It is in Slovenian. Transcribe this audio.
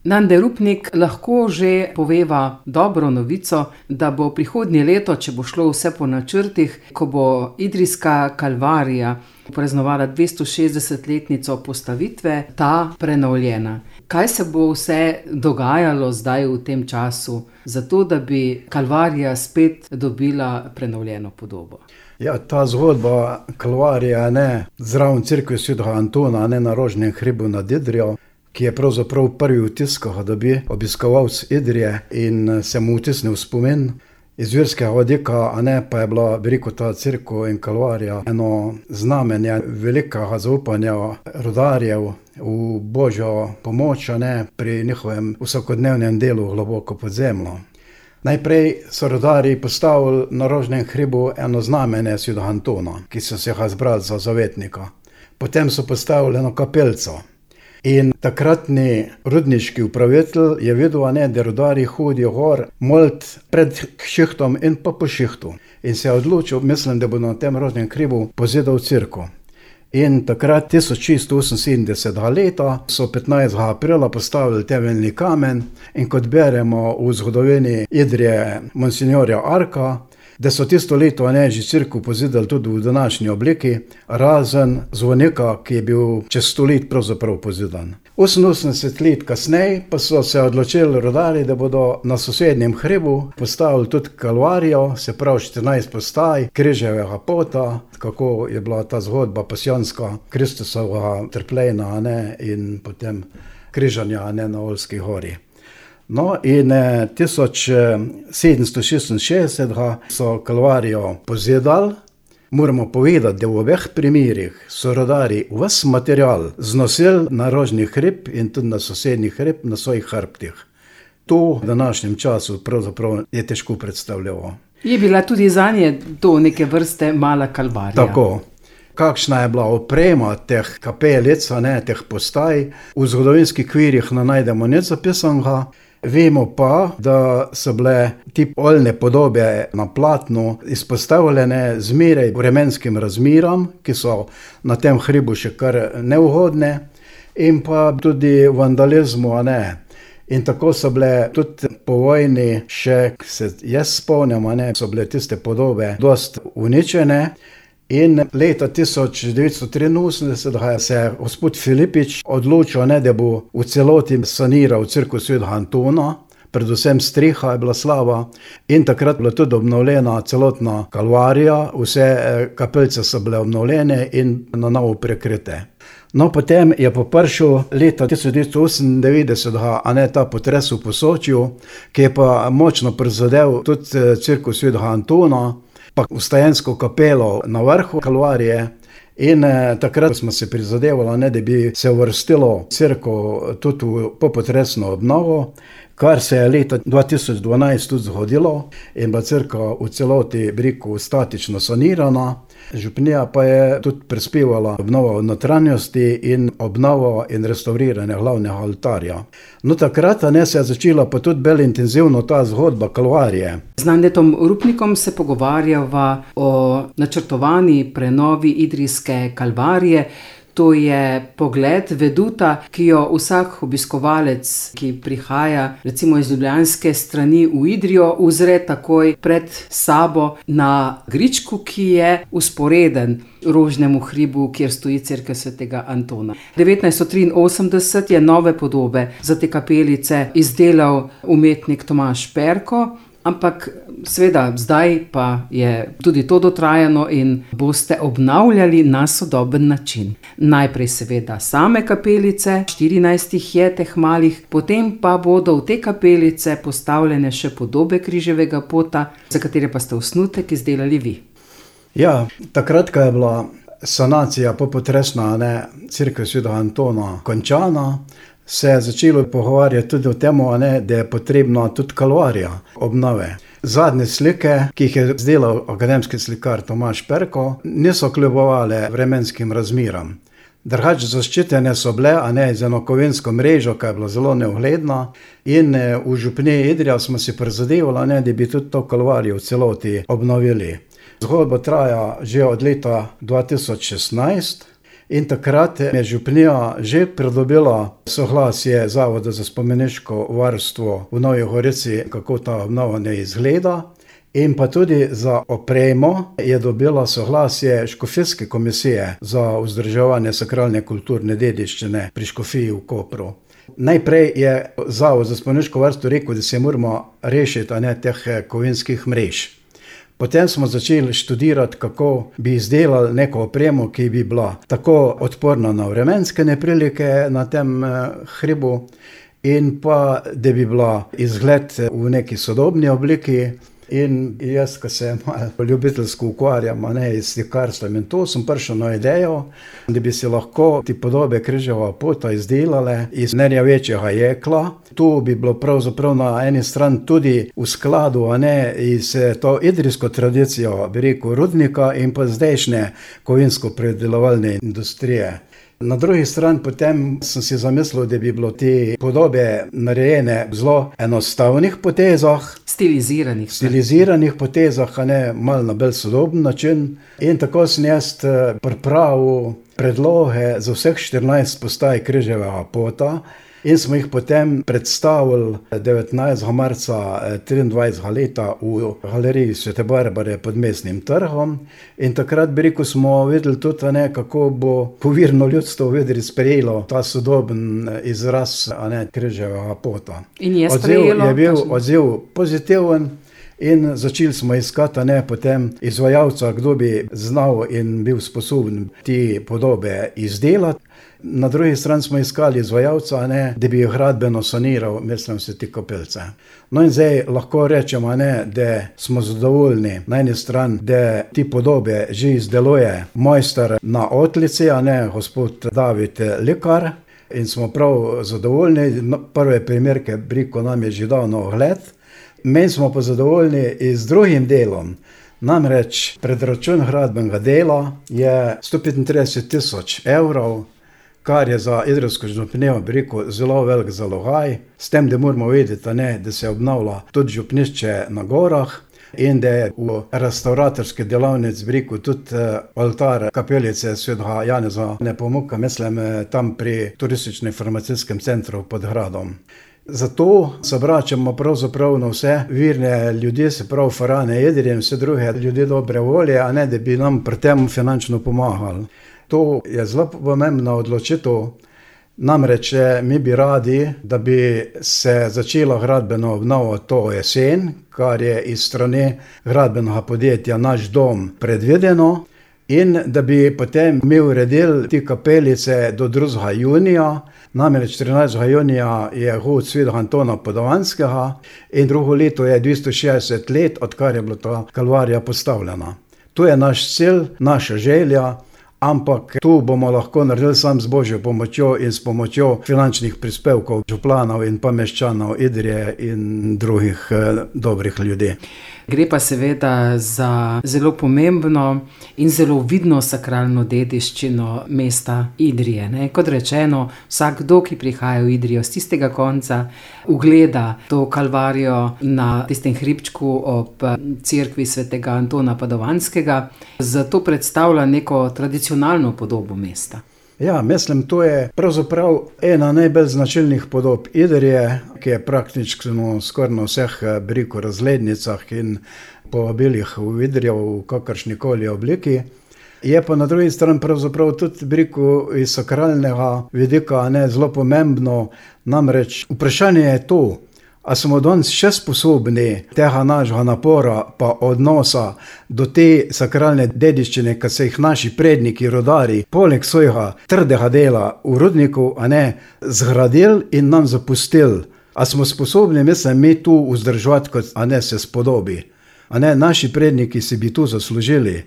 Nande Rupnik lahko že poveva dobro novico, da bo prihodnje leto, če bo šlo vse po načrtih, ko bo idrijska Kalvarija praznovala 260-letnico postavitve, ta prenovljena. Kaj se bo vse dogajalo zdaj v tem času, zato da bi Kalvarija spet dobila prenovljeno podobo? Ja, ta zgodba Kalvarija, zraven cerkve svetega Antona, na Rožnem hribu nad Idrijo, ki je pravzaprav prvi vtis, ko ga dobi obiskovalec Idrije in se mu vtisne v spomin. Iz verskega vidika, pa je bila veliko ta cerkev in Kalvarija eno znamenje velikega zaupanja rudarjev v Božjo pomoč, pri njihovem vsakodnevnem delu globoko pod zemljo. Najprej so rudarji postavili na Rožnem hribu eno znamenje svetega Antona, ki so se ga zbrali za zavetnika. Potem so postavili eno kapelico. In takratni rudniški upravitelj je videl, da rudarji hodijo gor molit pred šihtom in pa po šihtu. In se je odločil, mislim, da bo na tem Rožnem hribu pozidal cerkev. In takrat 1678 leta so 15. aprila postavili temeljni kamen in kot beremo v zgodovini Idrije monsinjorja Arka, da so tisto leto že cerkev pozidali tudi v današnji obliki, razen zvonika, ki je bil čez 100 let pravzaprav pozidan. 88 let kasneje pa so se odločili rudarji, da bodo na sosednjem hribu postavili tudi Kalvarijo, se pravi 14 postaj križevega pota, kako je bila ta zgodba pasijonska Kristusovega trpljenja in potem križanja na Olski gori. No, in 1766 so Kalvarijo pozidali. Moramo povedati, da v obeh primerih so rudarji ves material znosili na Rožni hrib in tudi na sosednji hrib na svojih hrbtih. To v današnjem času pravzaprav je težko predstavljivo. Je bila tudi zanje to neke vrste mala Kalvarija. Tako. Kakšna je bila oprema teh kapelic, teh postaj, v zgodovinskih kvirjih ne najdemo nič zapisanega. Vemo pa, da so bile ti oljne podobe na platnu izpostavljene zmeraj vremenskim razmeram, ki so na tem hribu še kar neugodne, in pa tudi vandalizmu. In tako so bile tudi po vojni, še se jaz spomnim, so bile tiste podobe dosti uničene. In leta 1983 se je gospod Filipič odločil, da bo v celoti saniral cerkev svetega Antona, predvsem streha je bila slaba, in takrat je bila tudi obnovljena celotna Kalvarija, vse kapelice so bile obnovljene in na novo prekrite. No, potem je pa prišel leta 1998 ta potres v Posočju, ki je pa močno prizadel tudi cerkev svetega Antona, pa vstajensko kapelo na vrhu Kalvarije, in takrat smo se prizadevali, da bi se uvrstilo cerkev tudi v popotresno obnovo, kar se je leta 2012 tudi zgodilo in bila cerkev v celoti statično sanirana. Župnija pa je tudi prispevala obnovo notranjosti in obnovo in restauriranje glavnega oltarja. No, takrat se je začela pa tudi bolj intenzivno ta zgodba Kalvarije. Z Nandetom Rupnikom se pogovarjava o načrtovani prenovi idrijske Kalvarije. To je pogled veduta, ki jo vsak obiskovalec, ki prihaja recimo iz ljubljanske strani v Idrijo, uzre takoj pred sabo na gričku, ki je vzporeden Rožnemu hribu, kjer stoji cerkev svetega Antona. 1983 je nove podobe za te kapelice izdelal umetnik Tomaž Perko, ampak seveda zdaj pa je tudi to dotrajano in boste obnavljali na sodoben način. Najprej seveda same kapelice, 14 jih je teh malih, potem pa bodo v te kapelice postavljene še podobe križevega pota, za katere pa ste osnutek izdelali vi. Ja, takrat, ko je bila sanacija popotresna cerkev svetega Antona končana, se je začelo pogovarjati tudi o tem, da je potrebna tudi Kalvarija obnove. Zadnje slike, ki jih je izdelal akademski slikar Tomaž Perko, niso kljubovale vremenskim razmeram. Drugače zaščitene so bile, z eno kovinsko mrežo, ki je bila zelo neugledna, in v župniji Idrija smo si prizadevali, da bi tudi to Kalvarijo v celoti obnovili. Zgodba traja že od leta 2016 In takrat je župnija že pridobila soglasje Zavoda za spomeniško varstvo v Novi Gorici, kako ta obnova ne izgleda. In pa tudi za opremo je dobila soglasje Škofijske komisije za vzdrževanje sakralne kulturne dediščine pri Škofiji v Kopru. Najprej je Zavod za spomeniško varstvo rekel, da se moramo rešiti teh kovinskih mrež. Potem smo začeli študirati, kako bi izdelali neko opremo, ki bi bila tako odporna na vremenske neprilike na tem hribu in pa, da bi bila izgled v neki sodobni obliki. In jaz, ko se malo ljubiteljsko ukvarjam s slikarstvom, in to sem prišel na idejo, da bi si lahko te podobe križeva pota izdelale iz nerjavečega jekla. Tu bi bilo pravzaprav na eni strani tudi v skladu iz to idrijsko tradicijo, bi rekel, rudnika in pa zdajšnje kovinsko-predelovalne industrije. Na drugi strani potem sem si zamislil, da bi bilo te podobe narejene v zelo enostavnih potezah, stiliziranih potezah, malo na bolj sodoben način. In tako sem jaz pripravil predloge za vseh 14 postaj križevega pota in smo jih potem predstavili 19. marca 23. leta v galeriji Svete Barbare pod Mestnim trgom. In takrat, bi rekel, smo videli tudi, kako bo povirno ljudstvo v Idriji sprejelo ta sodoben izraz križevega pota. In je sprejelo? Je bil odziv pozitiven. In začeli smo iskati potem izvajalca, kdo bi znal in bil sposoben te podobe izdelati. Na drugi strani smo iskali izvajalca, da bi jih gradbeno saniral, mislim se te kapelce. No in zdaj lahko rečemo, da smo zadovoljni na eni strani, da te podobe že izdeluje mojster na Otlici, gospod David Likar. In smo prav zadovoljni. Prve primerke briko nam je že dal na ogled. Mi smo pa zadovoljni z drugim delom. Namreč predračun gradbenega dela je 135 000 evrov, kar je za idrijsko župnijo, bi rekel, zelo velik zalogaj. S tem, da moramo vedeti, da se obnavlja tudi župnišče na gorah in da je v restauratorski delavnici, bi rekel, tudi oltar kapelice Svetega Janeza Nepomuka, mislim, tam pri turistično-informacijskem centru pod gradom. Zato se vračamo pravzaprav na vse virne ljudi, se pravi farane Idrije in vse druge ljudi dobre volje, da bi nam pri tem finančno pomagali. To je zelo pomembna odločitev. Namreč mi bi radi, da bi se začela gradbena obnova to jesen, kar je iz strani gradbenega podjetja Naš dom predvideno, in da bi potem mi uredili te kapelice do 2. junija. Namreč 14. junija je hod Svetega Antona Padovanskega in drugo leto je 260 let, odkar je bila ta kalvarija postavljena. To je naš cilj, naša želja, ampak tu bomo lahko naredili sam z Božjo pomočjo in s pomočjo finančnih prispevkov županov in pa meščanov Idrije in drugih dobrih ljudi. Gre pa seveda za zelo pomembno in zelo vidno sakralno dediščino mesta Idrije. Kot rečeno, vsakdo, ki prihaja v Idrijo z tistega konca, ugleda to kalvarijo na tistem hribčku ob cerkvi Svetega Antona Padovanskega, zato predstavlja neko tradicionalno podobo mesta. Ja, mislim, to je pravzaprav ena najbolj značilnih podob Idrije, ki je praktično skoraj na vseh razglednicah in povabilih v Idrijo v kakršnikoli obliki. Je pa na drugi strani pravzaprav tudi iz sakralnega vidika zelo pomembno, namreč vprašanje je to, a smo danes še sposobni tega našega napora pa odnosa do te sakralne dediščine, ki so jih naši predniki, rodari, poleg svojega trdega dela v rudniku, zgradili in nam zapustili. A smo sposobni, mislim, mi tu vzdrževati, kot se spodobi. Naši predniki si bi tu zaslužili.